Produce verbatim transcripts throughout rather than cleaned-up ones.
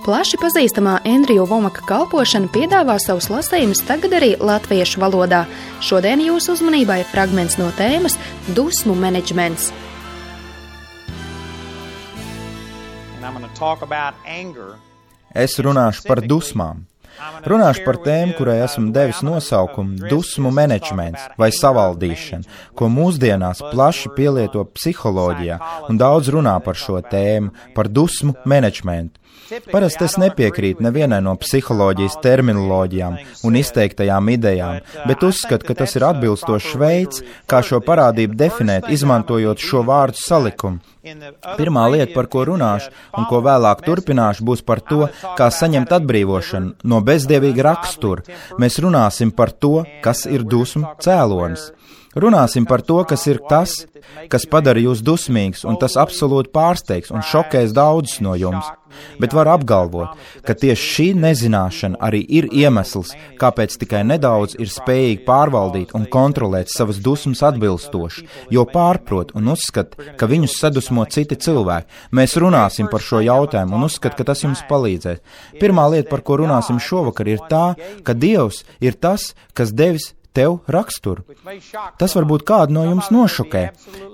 Plaši pazīstamā Endriju Vomaka kalpošana piedāvā savus lasījumus tagad arī latviešu valodā. Šodien jūsu uzmanībai fragments no tēmas Dusmu menedžments. Es runāšu par dusmām. Runāšu par tēmu, kurai esmu devis nosaukumu dusmu menedžments vai savaldīšana, ko mūsdienās plaši pielieto psiholoģijā un daudz runā par šo tēmu, par dusmu menedžmentu. Parasti es nepiekrītu nevienai no psiholoģijas terminoloģijām un izteiktajām idejām, bet uzskatu, ka tas ir atbilstošs veids, kā šo parādību definēt, izmantojot šo vārdu salikumu. Pirmā lieta, par ko runāšu un ko vēlāk turpināšu, būs par to, kā saņemt atbrīvošanu no bezdievīga rakstura. Mēs runāsim par to, kas ir dusmu cēlonis. Runāsim par to, kas ir tas, kas padara jūs dusmīgs, un tas absolūti pārsteigs un šokēs daudzus no jums. Bet var apgalvot, ka tieši šī nezināšana arī ir iemesls, kāpēc tikai nedaudz ir spējīgi pārvaldīt un kontrolēt savas dusmas atbilstoši, jo pārprot un uzskat, ka viņus sadusmo citi cilvēki. Mēs runāsim par šo jautājumu un uzskat, ka tas jums palīdzēs. Pirmā lieta, par ko runāsim šovakar, ir tā, ka Dievs ir tas, kas devis tev raksturu. Tas varbūt kādu no jums nošokē.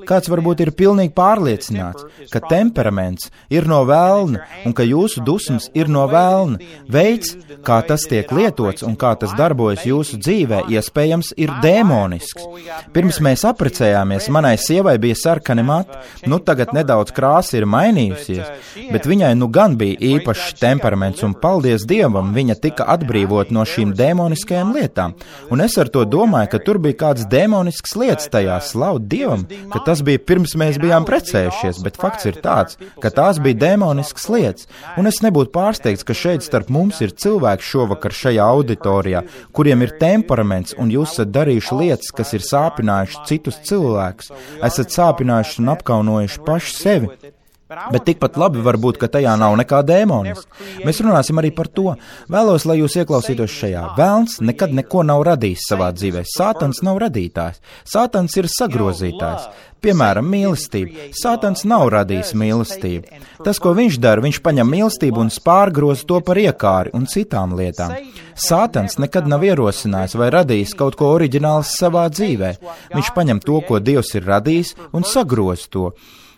Kāds varbūt ir pilnīgi pārliecināts, ka temperaments ir no velna un ka jūsu dusmas ir no velna. Veids, kā tas tiek lietots un kā tas darbojas jūsu dzīvē, iespējams ir dēmonisks. Pirms mēs apprecējāmies, manai sievai bija sarkani mati, nu tagad nedaudz krāsa ir mainījusies, bet viņai nu gan bija īpašs temperaments un paldies Dievam, viņa tika atbrīvot no šīm dēmoniskajām lietām. Un es ar to domāju, ka tur bija kāds demonisks lietas tajā, slavu Dievam, ka tas bija pirms mēs bijām precējušies, bet fakts ir tāds, ka tās bija demoniskas lietas. Un es nebūtu pārsteigts, ka šeit starp mums ir cilvēki šovakar šajā auditorijā, kuriem ir temperaments, un jūs esat darījuši lietas, kas ir sāpinājuši citus cilvēkus, esat sāpinājuši un apkaunojuši paši sevi. Bet tikpat labi var būt, ka tajā nav nekā dēmoniska. Mēs runāsim arī par to. Vēlos, lai jūs ieklausītos šajā. Velns nekad neko nav radījis savā dzīvē. Sātans nav radītājs. Sātans ir sagrozītājs. Piemēram, mīlestība. Sātans nav radījis mīlestību. Tas, ko viņš dara, viņš paņem mīlestību un pārgroza to par iekāri un citām lietām. Sātans nekad nav ierosinājis vai radījis kaut ko oriģināls savā dzīvē. Viņš paņem to, ko Dievs ir radījis, un sagroza to.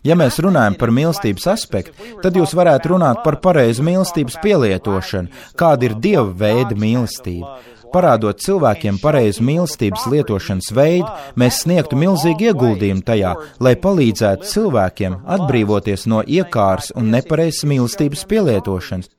Ja mēs runājam par mīlestības aspektu, tad jūs varētu runāt par pareizu mīlestības pielietošanu, kāda ir Dieva veida mīlestība. Parādot cilvēkiem pareizu mīlestības lietošanas veidu, mēs sniegtu milzīgu ieguldījumu tajā, lai palīdzētu cilvēkiem atbrīvoties no iekāras un nepareizas mīlestības pielietošanas.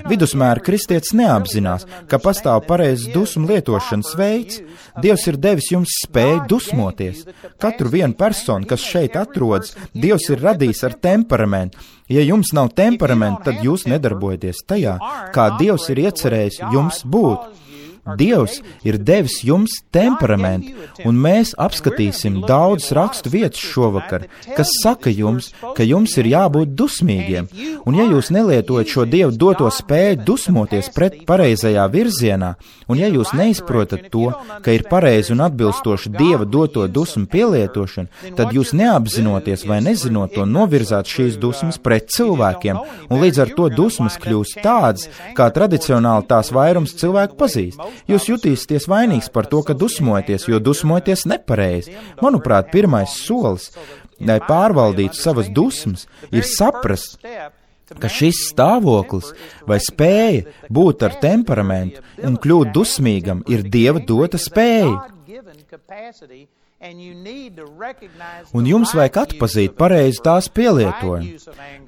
Vidusmēra kristietis neapzinās, ka pastāv pareizs dusmu lietošanas veids. Dievs ir devis jums spēju dusmoties. Katru vienu personu, kas šeit atrodas, Dievs ir radījis ar temperamentu. Ja jums nav temperamenta, tad jūs nedarbojaties tajā, kā Dievs ir iecerējis jums būt. Dievs ir devis jums temperamentu, un mēs apskatīsim daudz rakstu vietas šovakar, kas saka jums, ka jums ir jābūt dusmīgiem. Un ja jūs nelietojat šo Dievu doto spēju dusmoties pret pareizajā virzienā, un ja jūs neizprotat to, ka ir pareizi un atbilstoši Dieva doto dusmu pielietošana, tad jūs neapzinoties vai nezinot to novirzāt šīs dusmas pret cilvēkiem, un līdz ar to dusmas kļūst tādas, kā tradicionāli tās vairums cilvēku pazīst. Jūs jutīsieties vainīgs par to, ka dusmojaties, jo dusmojaties nepareizi. Manuprāt, pirmais solis, lai pārvaldītu savas dusmas, ir saprast, ka šis stāvoklis vai spēja būt ar temperamentu un kļūt dusmīgam ir Dieva dota spēja. Un jums vajag atpazīt pareizi tās pielietojumu,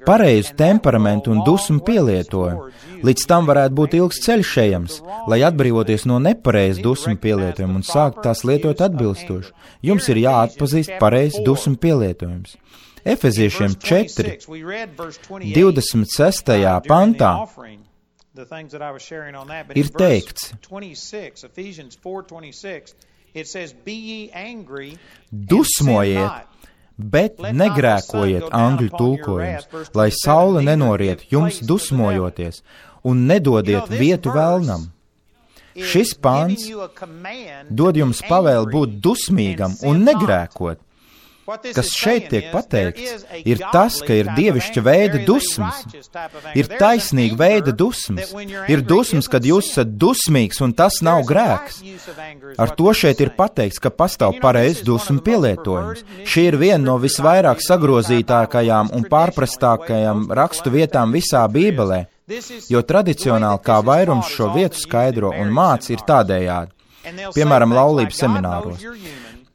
pareizu temperamentu un dusmu pielietojumu. Līdz tam varētu būt ilgs ceļš ejams, lai atbrīvoties no nepareizu dusmu pielietojumu un sākt tās lietot atbilstoši. Jums ir jāatpazīst pareizi dusmu pielietojums. Efeziešiem četri, divdesmit sestajā pantā ir teikts: dusmojiet, bet negrēkojiet, angļu tulkojums, lai saule nenoriet jums dusmojoties, un nedodiet vietu velnam. Šis pāns dod jums pavēli būt dusmīgam un negrēkot. Kas šeit tiek pateikts, ir tas, ka ir dievišķa veida dusmas, ir taisnīga veida dusmas, ir dusmas, kad jūs esat dusmīgs un tas nav grēks. Ar to šeit ir pateikts, ka pastāv pareizs dusmu pielietojums. Šī ir viena no visvairāk sagrozītākajām un pārprastākajām rakstu vietām visā Bībelē, jo tradicionāli kā vairums šo vietu skaidro un māca ir tādējādi. Piemēram, laulības semināros.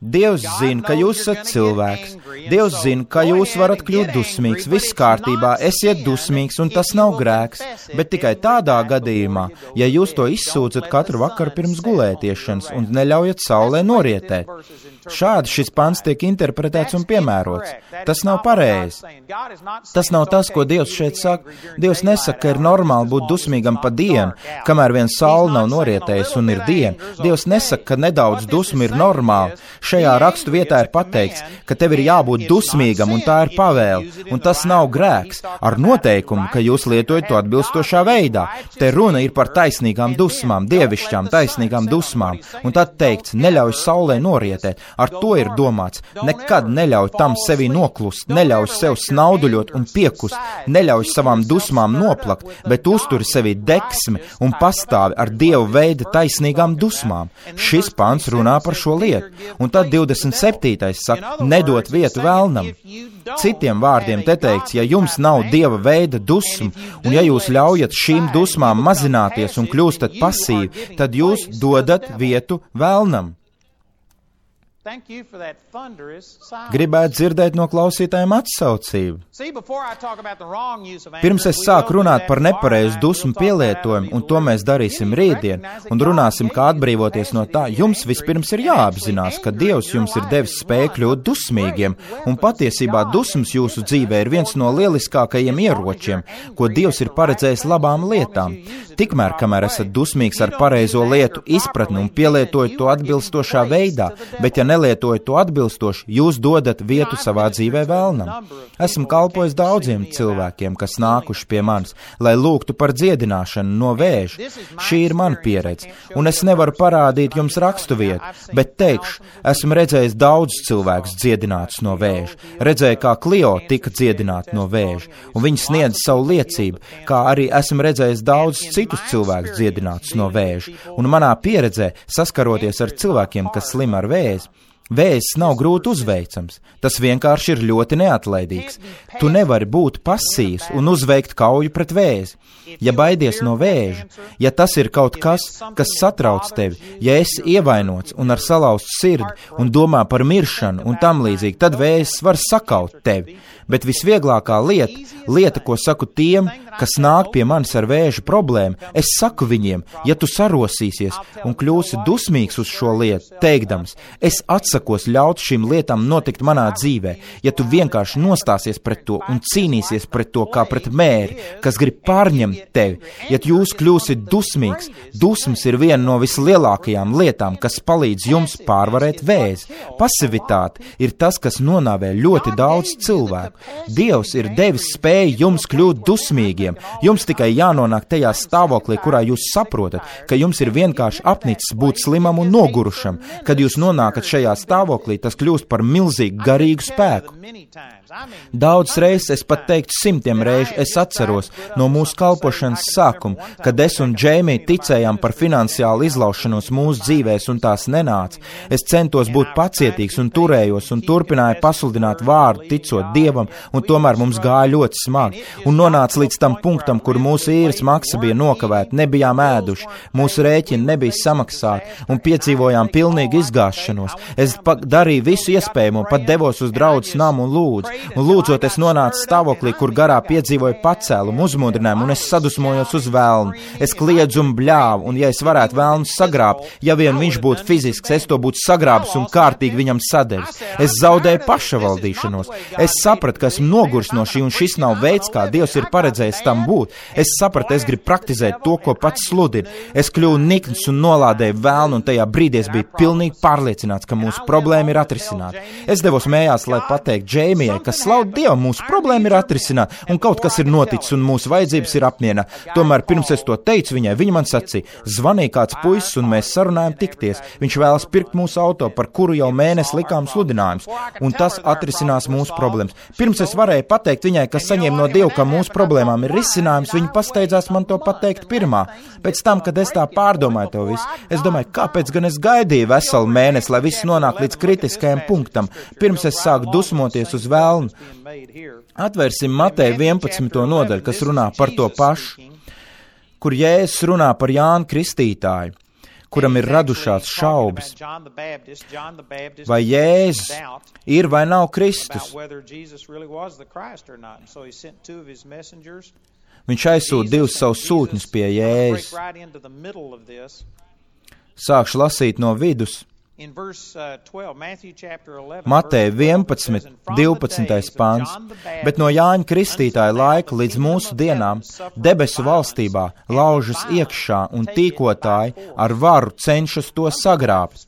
Dievs zina, ka jūs esat cilvēks. Dievs zina, ka jūs varat kļūt dusmīgs. Viss kārtībā, esiet dusmīgs, un tas nav grēks. Bet tikai tādā gadījumā, ja jūs to izsūdzat katru vakaru pirms gulētiešanas un neļaujat saulē norietēt. Šādi šis pants tiek interpretēts un piemērots. Tas nav pareizi. Tas nav tas, ko Dievs šeit saka. Dievs nesaka, ka ir normāli būt dusmīgam pa dienu, kamēr vien saule nav norietējusi un ir diena. Dievs nesaka, ka nedaudz dusmu ir normāli. Šajā rakstu vietā ir pateikts, ka tev ir jābūt dusmīgam, un tā ir pavēle, un tas nav grēks, ar noteikumu, ka jūs lietojat to atbilstošā veidā. Te runa ir par taisnīgām dusmām, dievišķām taisnīgām dusmām, un tad teikts, neļauj saulē norietēt. Ar to ir domāts, nekad neļauj tam sevi noklust, neļauj sev snauduļot un piekust, neļauj savām dusmām noplakt, bet uzturi sevi deksmi un pastāvi ar Dievu veida taisnīgām dusmām. Šis pants runā par šo lietu. Un tad divdesmit septītais saka, nedot vietu velnam. Citiem vārdiem te teikts, ja jums nav Dieva veida dusmu, un ja jūs ļaujat šīm dusmām mazināties un kļūstat pasīvi, tad jūs dodat vietu velnam. Gribētu dzirdēt no klausītājiem atsaucību. Pirms es sāku runāt par nepareizu dusmu pielietojumu, un to mēs darīsim rītdien, un runāsim, kā atbrīvoties no tā, jums vispirms ir jāapzinās, ka Dievs jums ir devis spēju kļūt dusmīgiem, un patiesībā dusmas jūsu dzīvē ir viens no lieliskākajiem ieročiem, ko Dievs ir paredzējis labām lietām. Tikmēr, kamēr esat dusmīgs ar pareizo lietu izpratni un pielietojat to atbilstošā veidā, bet ja nelietojat to atbilstoši, jūs dodat vietu savā dzīvē velnam. Esmu kalpojis daudziem cilvēkiem, kas nākuši pie manis, lai lūgtu par dziedināšanu no vēža. Šī ir mana pieredze, un es nevaru parādīt jums rakstu vietu, bet teikšu, esmu redzējis daudzus cilvēkus dziedinātus no vēža. Redzēju, kā Klio tika dziedināta no vēža, un viņi sniedz savu liecību, kā arī esmu redzējis daudzus citus cilvēkus dziedinātus no vēža. Un manā pieredzē, saskaroties ar cilvēkiem, kas slim ar vēzi, vēzis nav grūti uzveicams, tas vienkārši ir ļoti neatlaidīgs. Tu nevari būt pasīvs un uzveikt kauju pret vēzi. Ja baidies no vēža, ja tas ir kaut kas, kas satrauc tevi, ja esi ievainots un ar salauztu sirdi un domā par miršanu un tam līdzīgi, tad vēzis var sakaut tevi. Bet visvieglākā lieta, lieta, ko saku tiem, kas nāk pie manis ar vēža problēmu, es saku viņiem, ja tu sarosīsies un kļūsi dusmīgs uz šo lietu, teikdams, es atsakos ļaut šīm lietām notikt manā dzīvē, ja tu vienkārši nostāsies pret to un cīnīsies pret to kā pret mēri, kas grib pārņemt tevi, ja jūs kļūsit dusmīgs, dusmas ir viena no vislielākajām lietām, kas palīdz jums pārvarēt vēzi. Pasivitāte ir tas, kas nonāvē ļoti daudz cilvēku. Dievs ir devis spēju jums kļūt dusmīgiem. Jums tikai jānonāk tajā stāvoklī, kurā jūs saprotat, ka jums ir vienkārši apnicis būt slimam un nogurušam. Kad jūs nonākat šajā stāvoklī, tas kļūst par milzīgu garīgu spēku. Daudz reizes, es pat teiktu simtiem reižu, es atceros no mūsu kalpošanas sākuma, kad es un Džeimija ticējām par finansiālu izlaušanos mūsu dzīvēs un tās nenāca. Es centos būt pacietīgs un turējos un turpināju pasludināt vārdu, ticot Dievam, un tomēr mums gāja ļoti smagi. Un nonāca līdz tam punktam, kur mūsu īres maksa bija nokavēta, nebijām ēduši, mūsu rēķini nebija samaksāti un piedzīvojām pilnīgu izgāšanos. Es darīju visu iespējamo, pat devos uz draudzes namu un lūdzu. Un lūdzot, es nonācu stāvoklī, kur garā piedzīvoju pacēlumu, uzmundrinājumu, un es sadusmojos uz velnu. Es kliedzu un bļāvu, un ja es varētu velnu sagrābt, ja vien viņš būtu fizisks, es to būtu sagrābis un kārtīgi viņam sadevis. Es zaudēju pašavaldīšanos. Es sapratu, ka esmu nogurs no šī, un šis nav veids, kā Dievs ir paredzējis tam būt. Es sapratu, es gribu praktizēt to, ko pats sludinu. Es kļuvu nikns un nolādēju velnu, un tajā brīdī es biju pilnīgi pārliecināts, ka mūsu mūsu problēma ir atrisināta. Es devos mējās, lai pateikt Džeimijai, ka slavu Dievu, mūsu problēma ir atrisināta, un kaut kas ir noticis, un mūsu vajadzības ir apmienā. Tomēr pirms es to teicu viņai, viņa man sacīja, zvanīja kāds puisis, un mēs sarunājam tikties. Viņš vēlas pirkt mūsu auto, par kuru jau mēnesi likām sludinājums, un tas atrisinās mūsu problēmas. Pirms es varēju pateikt viņai, ka saņēma no Dieva, ka mūsu problēmām ir risinājums, viņa pasteidzās man to pateikt pirmā. Pēc tam, kad es tā pārdomāju to visu, es domāju, kāpēc gan es gaidīju veselu mēnesi, lai viss nonāk līdz kritiskajam punktam, pirms es sāku dusmoties uz velnu. Atvērsim Mateja vienpadsmito nodaļu, kas runā par to pašu, kur Jēzus runā par Jānu Kristītāju, kuram ir radušās šaubas, vai Jēzus ir vai nav Kristus. Viņš aizsūta divus savus sūtņus pie Jēzus. Sākšu lasīt no vidus. Mateja vienpadsmit, divpadsmitais pants, bet no Jāņa Kristītāja laika līdz mūsu dienām debesu valstībā laužas iekšā un tīkotāji ar varu cenšas to sagrābt.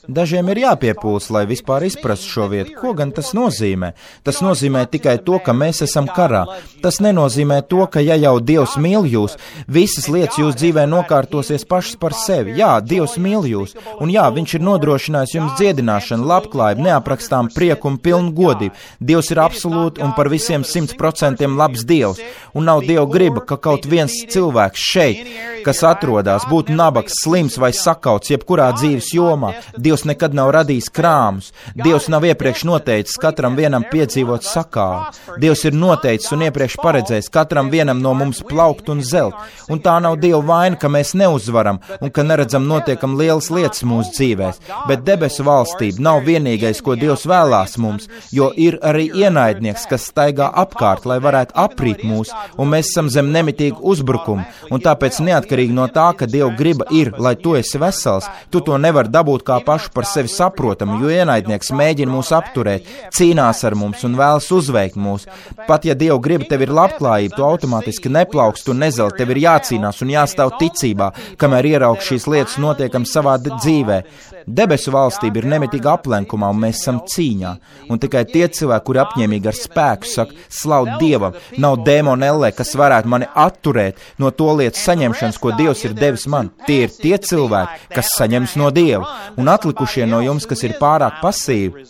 Dažiem ir jāpiepūls, lai vispār izprastu šo vietu. Ko gan tas nozīmē? Tas nozīmē tikai to, ka mēs esam karā. Tas nenozīmē to, ka ja jau Dievs mīl jūs, visas lietas jūs dzīvē nokārtosies pašas par sevi. Jā, Dievs mīl jūs, un jā, viņš ir nodrošinājis jums dziedināšanu, labklājību, neaprakstām prieku un pilnu godību. Dievs ir absolūti un par visiem simt procentiem labs Dievs, un nav Dieva griba, ka kaut viens cilvēks šeit, kas atrodas, būtu nabags, slims vai sakauts jebkurā dzīves jomā. Dievs nekad nav radījis krāmus. Dievs nav iepriekš noteicis katram vienam piedzīvot sakāvu. Dievs ir noteicis un iepriekš paredzējis katram vienam no mums plaukt un zelt. Un tā nav Dieva vaina, ka mēs neuzvaram un ka neredzam notiekam lielas lietas mūsu dzīvēs. Bet debesu valstība nav vienīgais, ko Dievs vēlās mums, jo ir arī ienaidnieks, kas staigā apkārt, lai varētu aprīt mūs, un mēs esam zem nemitīgu uzbrukumu. Un tāpēc neatkarīgi no tā, ka Dieva griba ir, lai tu esi vesels, tu to nevar dabūt kā pašu par sevi saprotamu, jo ienaidnieks mēģina mūs apturēt, cīnās ar mums un vēlas uzveikt mūs. Pat ja Dieva griba tev ir labklājība, tu automātiski neplaukst un nezelt, tev ir jācīnās un jāstāv ticībā, kamēr ieraug šīs lietas notiekam savā dzīvē. Debesu valstība ir nemitīga aplenkumā, un mēs esam cīņā. Un tikai tie cilvēki, kuri apņēmīgi ar spēku saka, slavu Dievam, nav dēmona ellē, kas varētu mani atturēt no to lietu saņemšanas, ko Dievs ir devis man. Tie ir tie cilvēki, kas saņems no Dieva. Un atlikušie no jums, kas ir pārāk pasīvi,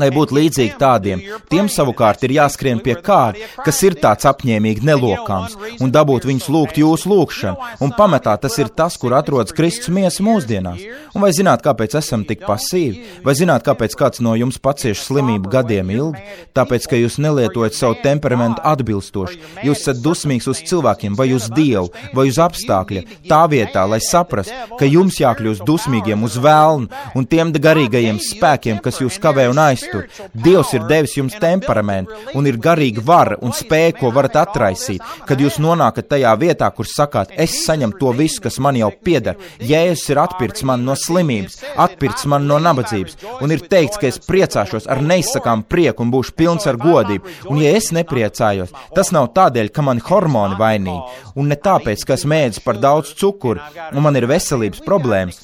lai būtu līdzīgi tādiem, tiem savukārt ir jāskrien pie kāda, kas ir tāds apņēmīgi nelokāms, un dabūt viņus lūgt jūsu lūgšanu. Un pamatā tas ir tas, kur atrodas Kristus miesa mūsdienās. Un vai zināt, kāpēc esam tik pasīvi? Vai zināt, kāpēc kāds no jums pacieš slimību gadiem ilgi? Tāpēc, ka jūs nelietojat savu temperamentu atbilstoši. Jūs esat dusmīgs uz cilvēkiem, vai uz Dievu, vai uz apstākļa, tā vietā, lai saprastu, ka jums jākļūst dusmīgiem uz velnu un tiem garīgajiem spēkiem, kas jūs kavē un aiztur. Dievs ir devis jums temperamentu un ir garīga vara un spēja, ko varat atraisīt, kad jūs nonākat tajā vietā, kur sakāt, es saņemu to visu, kas man jau pieder. Jēzus ir atpircis man no slimības, atpircis man no nabadzības, un ir teikts, ka es priecāšos ar neizsakām prieku un būšu pilns ar godību. Un ja es nepriecājos, tas nav tādēļ, ka man hormoni vainīgi, un ne tāpēc, ka es mēdzu par daudz cukuru, un man ir veselības problēmas.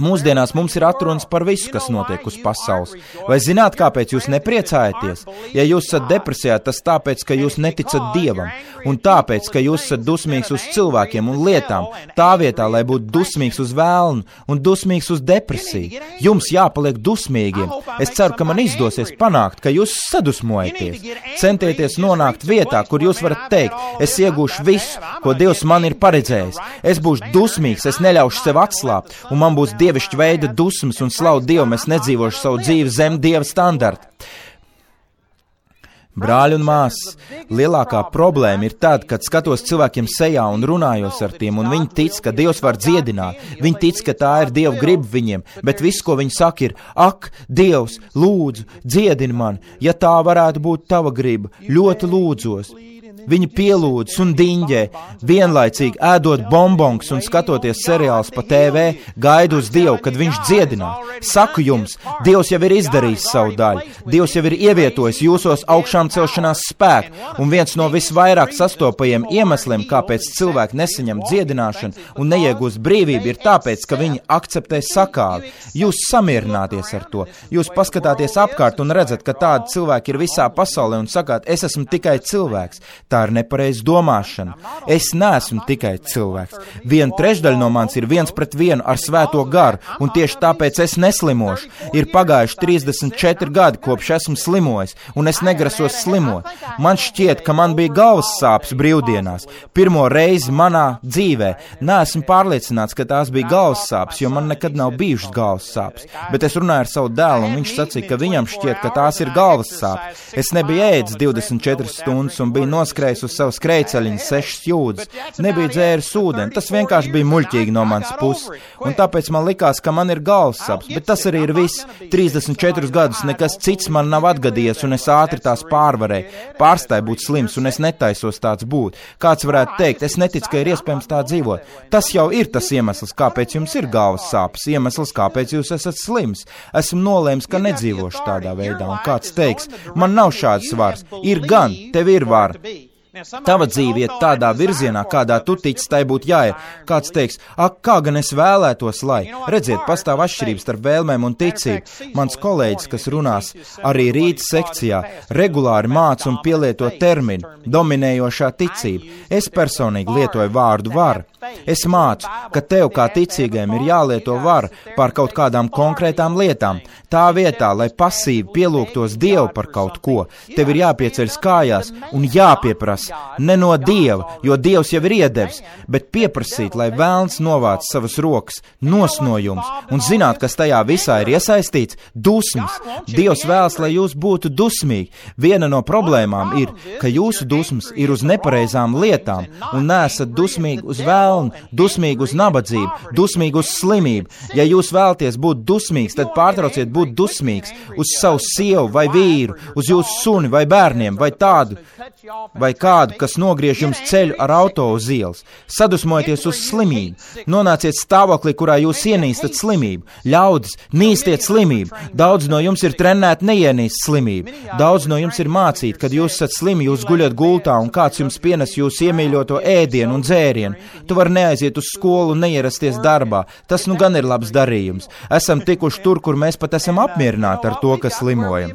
Mūsdienās mums ir atrunas par visu, kas notiek uz pasaules. Vai zināt, kāpēc jūs nepriecājaties? Ja jūs esat depresijā, tas tāpēc, ka jūs neticat Dievam, un tāpēc, ka jūs esat dusmīgs uz cilvēkiem un lietām, tā vietā, lai būtu dusmīgs uz vēlnu un dusmīgs uz depresiju. Jums jāpaliek dusmīgiem. Es ceru, ka man izdosies panākt, ka jūs sadusmojaties. Centieties nonākt vietā, kur jūs varat teikt, es iegūšu visu, ko Dievs man ir paredzējis. Es būšu dusmīgs, es neļaušu sev atslābt, un man būs dievišķa veida dusmas un slavu Dievam, es nedzīvošu savu dzīvi zem Dieva standarta. Brāļi un māsas, lielākā problēma ir tad, kad skatos cilvēkiem sejā un runājos ar tiem, un viņi tic, ka Dievs var dziedināt, viņi tic, ka tā ir Dieva griba viņiem, bet viss, ko viņi saka, ir, ak, Dievs, lūdzu, dziedini man, ja tā varētu būt tava griba, ļoti lūdzos. Viņi pielūdz un diņģē, vienlaicīgi ēdot bonbongus un skatoties seriālus pa T V, gaida uz Dievu, kad viņš dziedinās. Saku jums, Dievs jau ir izdarījis savu daļu. Dievs jau ir ievietojis jūsos augšām celšanās spēku, un viens no visvairāk sastopajiem iemesliem, kāpēc cilvēki nesaņem dziedināšanu un neiegūst brīvību, ir tāpēc, ka viņi akceptē sakāvi. Jūs samierināties ar to. Jūs paskatāties apkārt un redzat, ka tādi cilvēki ir visā pasaulē un sakāt, es esmu tikai cilvēks. Tā ir nepareiza domāšana. Es neesmu tikai cilvēks. Viena trešdaļa no manis ir viens pret vienu ar svēto garu, un tieši tāpēc es neslimošu. Ir pagājuši trīsdesmit četri gadi, kopš esmu slimojis, un es negrasos slimot. Man šķiet, ka man bija galvas sāpes brīvdienās. Pirmo reizi manā dzīvē. Neesmu pārliecināts, ka tās bija galvas sāpes, jo man nekad nav bijušas galvas sāpes. Bet es runāju ar savu dēlu, un viņš sacīja, ka viņam šķiet, ka tās ir galvas sāpes. Es nebiju ēdis divdesmit četras stundas un biju noskrējis uz savu skrejceļiņu sešas jūdzes. Nebiju dzēris ūdeni, tas vienkārši bija muļķīgi no manas puses. Un tāpēc man likās, ka man ir galvas sāpes, bet tas arī ir viss. trīsdesmit četrus gadus nekas cits man nav atgadījies, un es ātri tās pārvarēju. Pārstāju būt slims, un es netaisos tāds būt. Kāds varētu teikt, es neticu, ka ir iespējams tā dzīvot. Tas jau ir tas iemesls, kāpēc jums ir galvas sāpes, iemesls, kāpēc jūs esat slims. Esmu nolēms, ka nedzīvošu tādā veidā, un kāds teiks, man nav šāds svars. Ir gan, tev ir vara. Tava dzīve iet tādā virzienā, kādā tu tici, tai būtu jāiet. Kāds teiks, ak, kā gan es vēlētos, lai. Redziet, pastāv atšķirības starp vēlmēm un ticību. Mans kolēģis, kas runās arī rīta sekcijā, regulāri māca un pielieto terminu dominējošā ticība. Es personīgi lietoju vārdu vara. Es mācu, ka tev kā ticīgajam ir jālieto vara pār kaut kādām konkrētām lietām. Tā vietā, lai pasīvi pielūgtos Dievu par kaut ko, tev ir jāpieceļas kājās un jāpieprasa ne no Dieva, jo Dievs jau ir iedevis, bet pieprasīt, lai velns novāc savas rokas, nos no jums, un zināt, kas tajā visā ir iesaistīts - dusmas. Dievs vēlas, lai jūs būtu dusmīgi. Viena no problēmām ir, ka jūsu dusmas ir uz nepareizām lietām, un neesat dusmīgi uz vēlnu, dusmīgi uz nabadzību, dusmīgi uz slimību. Ja jūs vēlaties būt dusmīgs, tad pārtrauciet būt dusmīgs uz savu sievu vai vīru, uz jūsu suni vai bērniem, vai tādu, vai kādu, kas nogriež jums ceļu ar auto uz ielas. Sadusmojieties uz slimību. Nonāciet stāvoklī, kurā jūs ienīstat slimību. Ļaudis, nīstiet slimību. Daudz no jums ir trenēti neienīst slimību. Daudz no jums ir mācīti, kad jūs esat slimi, jūs guļat gultā un kāds jums pienes jūsu iemīļoto ēdienu un dzērienu. Tu vari neaiziet uz skolu un neierasties darbā. Tas nu gan ir labs darījums. Esam tikuši tur, kur mēs pat esam apmierināti ar to, ka slimojam.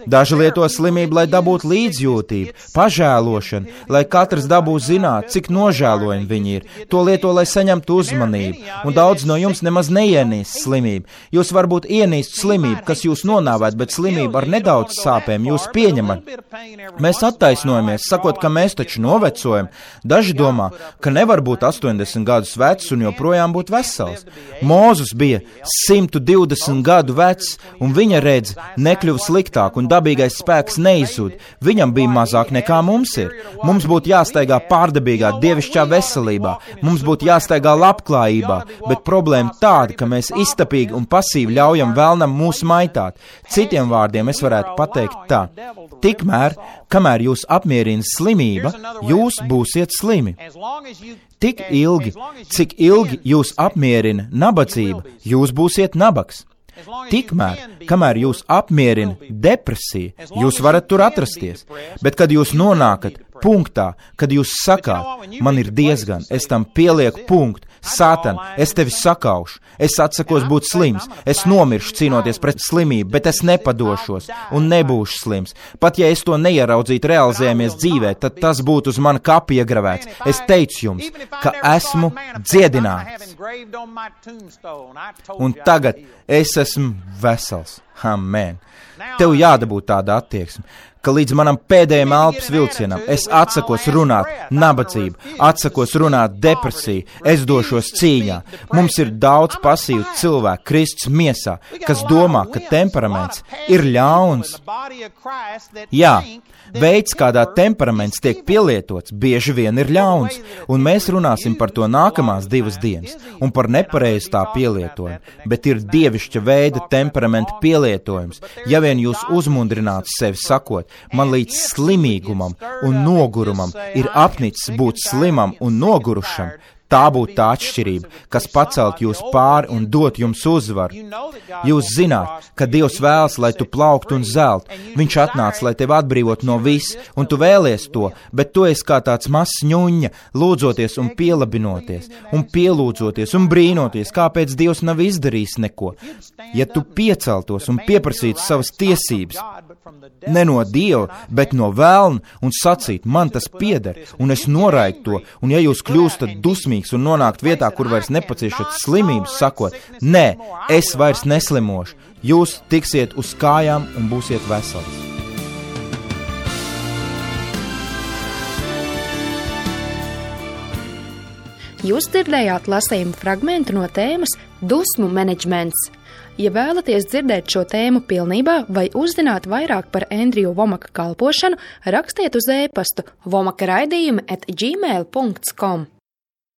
Daži lieto slimību, lai dabūtu līdzjūtību, pažēlošanu, lai katrs dabū zināt, cik nožēlojami viņi ir. To lieto, lai saņemtu uzmanību. Un daudz no jums nemaz neienīst slimību. Jūs varbūt ienīst slimību, kas jūs nonāvēt, bet slimību ar nedaudz sāpēm jūs pieņemat. Mēs attaisnojamies, sakot, ka mēs taču novecojam. Daži domā, ka nevar būt astoņdesmit gadus vecs un joprojām būt vesels. Mūzes bija simt divdesmit gadu vecs, un viņa redze nekļuva sliktāk, un dabīgais spēks neizzūd. Viņam bija mazāk nekā mums ir. Mums būtu jāstaigā pārdabīgā, dievišķā veselībā, mums būtu jāstaigā labklājībā, bet problēma tāda, ka mēs iztapīgi un pasīvi ļaujam vēlnam mūs maitāt. Citiem vārdiem es varētu pateikt tā. Tikmēr, kamēr jūs apmierina slimība, jūs būsiet slimi. Tik ilgi, cik ilgi jūs apmierina nabadzība, jūs būsiet nabags. Tikmēr, kamēr jūs apmierina depresija, jūs varat tur atrasties, bet kad jūs nonākat punktā, kad jūs sakāt, man ir diezgan, es tam pielieku punktu, Sātan, es tevi sakaušu, es atsakos būt slims, es nomiršu cīnoties pret slimību, bet es nepadošos un nebūšu slims. Pat ja es to neieraudzītu realizējamies dzīvē, tad tas būtu uz mana kapa iegravēts. Es teicu jums, ka esmu dziedināts. Un tagad es esmu vesels. Amen. Tev jādabūt tāda attieksme, ka līdz manam pēdējiem elpas vilcienam es atsakos runāt nabadzību, atsakos runāt depresiju, es došos cīņā. Mums ir daudz pasīvu cilvēku Kristus miesā, kas domā, ka temperaments ir ļauns. Jā, veids, kādā temperaments tiek pielietots, bieži vien ir ļauns, un mēs runāsim par to nākamās divas dienas, un par nepareizu tā pielietojumu, bet ir dievišķa veida temperamenta pielietojumu, pielietojums. Ja vien jūs uzmundrinātu sevi sakot, man līdz slimīgumam un nogurumam ir apnicis būt slimam un nogurušam, tā būtu tā atšķirība, kas pacelt jūs pāri un dot jums uzvaru. Jūs zināt, ka Dievs vēlas, lai tu plauktu un zelt. Viņš atnāca, lai tevi atbrīvot no viss, un tu vēlies to, bet tu esi kā tāds mazs ņuņa, lūdzoties un pielabinoties, un pielūdzoties un brīnoties, kāpēc Dievs nav izdarījis neko. Ja tu pieceltos un pieprasītu savas tiesības, ne no Dieva, bet no velna, un sacīt, man tas pieder, un es noraidītu to, un ja jūs kļūstat dusmīgi un nonākt vietā, kur vairs nepaciešat slimības, sakot, nē, es vairs neslimošu, jūs tiksiet uz kājām un būsiet vesels. Jūs dzirdējāt lasījumu fragmentu no tēmas Dusmu menedžments. Ja vēlaties dzirdēt šo tēmu pilnībā vai uzzināt vairāk par Andriju Vomaka kalpošanu, rakstiet uz e-pastu vomaka raidījumi at gmail dot com.